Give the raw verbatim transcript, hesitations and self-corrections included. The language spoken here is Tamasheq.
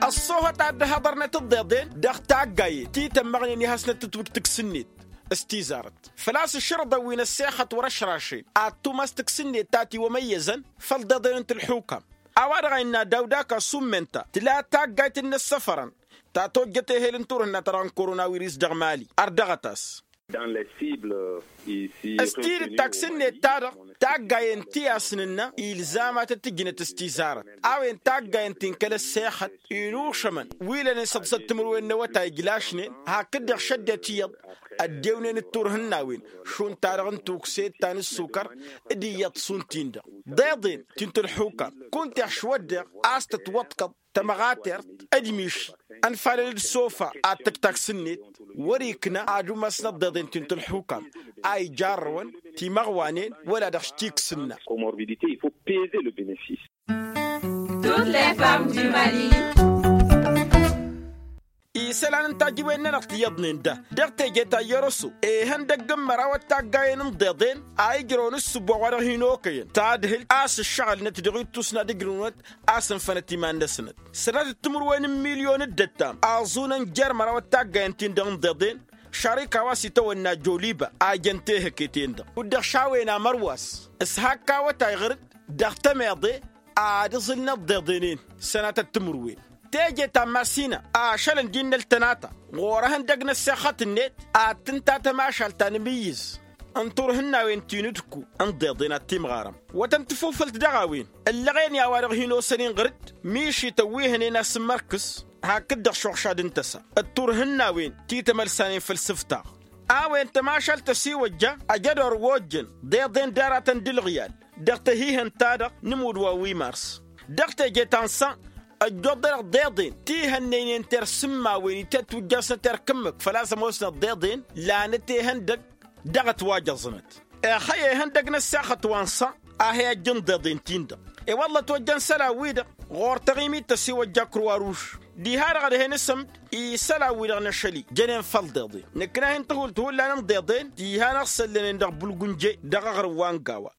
Ăṣṣoohăt a dd-hăḍărnet ǝḍḍeḍen dăɣ-taggayen ti tămmăɣnen i-hasnăt tǝtwǝjt tǝks-net s-tizarăt făl-a-s ǝššărǝḍăn wi n-ăssexăt wăr-ăšrašen ad-tumas tǝks-net ta tiwămăyyăzăn făll-iḍeḍen n-tǝlxukam. A-wa-dăɣ a innă dawd-ak asummenta tǝla taggayt n-inǝssăfărăn ta tojjăt ehel n-turhǝnna ta dăɣ-n koronawiris dăɣ-mali ărdăɣăt-as. S-tidǝt taks-net-ta-dăɣ taggayen ti a-s nǝnnă ilzam ad-tăt-ǝjnăt s-tizarăt a-wen taggayen ti n-kăl-ăssexăt inušămăn wi lănen s-ăḍsăt timǝrwen n-awătay ǝjlašnen hakd-dăɣ šăddet iyyăḍ ăddewnen d-turhǝnnawen šund-ta-dăɣ n-tukset ta n-ǝssukăr d-iyyăḍ šund-tin-dăɣ. Ḍeḍen ti n-tǝlxukam kunta ixšǝw-ăddeɣ a-s tătwăḍkăḍ tămăɣatert d-miši ănfalăn d-sofa ad-tǝk taks-net wăr-ikna ad-umasnăt ḍeḍen ti n-tǝlxukam a ijarrăwăn timăɣwanen wăla dăɣ-s tiksǝnna. Isălan n-tajǝwen-nănăɣ ti iyyăḍnen da dăɣ-teje ta n-yărosăw ihăndăgg n-măraw ăttaggayen n-ḍeḍen a ijrăwăn ǝssǝbo a-wa-dăɣ hin-okăyăn tadhǝlt a-s ǝššăɣǝlnăt dăɣ-ittus n-ad-ǝjrǝwnăt a-s ǝnfănăt iman-năsnăt sănatăt timǝrwen n-milyon d-ăttam aẓunăn jer-măraw ăttaggayen-tin-dăɣ n-ḍeḍen. Šarika wa s-itawănna joliba a jăn tehăke-ten-dăɣ kud-dăɣ šawen amărwas s-hak awătay ɣǝr-dd dăɣ-tămeḍe ad-iẓǝlnăt ḍeḍenen sănatăt timǝrwen teje ta n-masina ašălăn d-innă ăltănata ɣur-ehăndăg n-ăssexăt-net ad-tǝnta tămašalt ta n-amǝyyǝz n-turhǝnnawen ti n-udku n-ḍeḍen ad-timɣarăm wătăn tafufǝlt dăɣ-a-wen ǝllăɣen i-a-wa-dăɣ hin-osăn-in ɣǝr-dd mišităn wi hănen asǝmmărkǝs hakd-dăɣ šuɣšad n-tăsa d-turhǝnnawen ti tămălsanen făll-isǝftaɣ. A-wen tămašalt ăsiwăjja ăj ădor wa ojjăn ḍeḍen d-aratăn d-ǝlɣǝyal dăɣ-tăhihănt-ta-dăɣ n-imud wa wi mars dăɣ-teje ta n-san ăjjoḍ-dăɣ ḍeḍen ti hănnăynen tersǝmmawen itetwǝjjasnăt erk ǝmmǝk făl-a-s ămoosnăt ḍeḍen lanăt ehăndăg dăɣ-ătwajăẓnăt. Ixăyy ehăndăg n-ăssexăt wa n-san a he-ăjjǝn ḍeḍen-tin-dăɣ i-wălla ătwăjjăn isălan-wi-dăɣ ɣur-taɣimit tăsiwăjja kruwaruš diha-dăɣ ad-hen-asăm-dd isălan-wi-dăɣ n-ašăl-i jănen făll-ḍeḍen nǝkna hin-tăhult hullan n-ḍeḍen diha n-ăɣsăllănen dăɣ-bulgunje dăɣ-aɣrǝm wa n-gawa.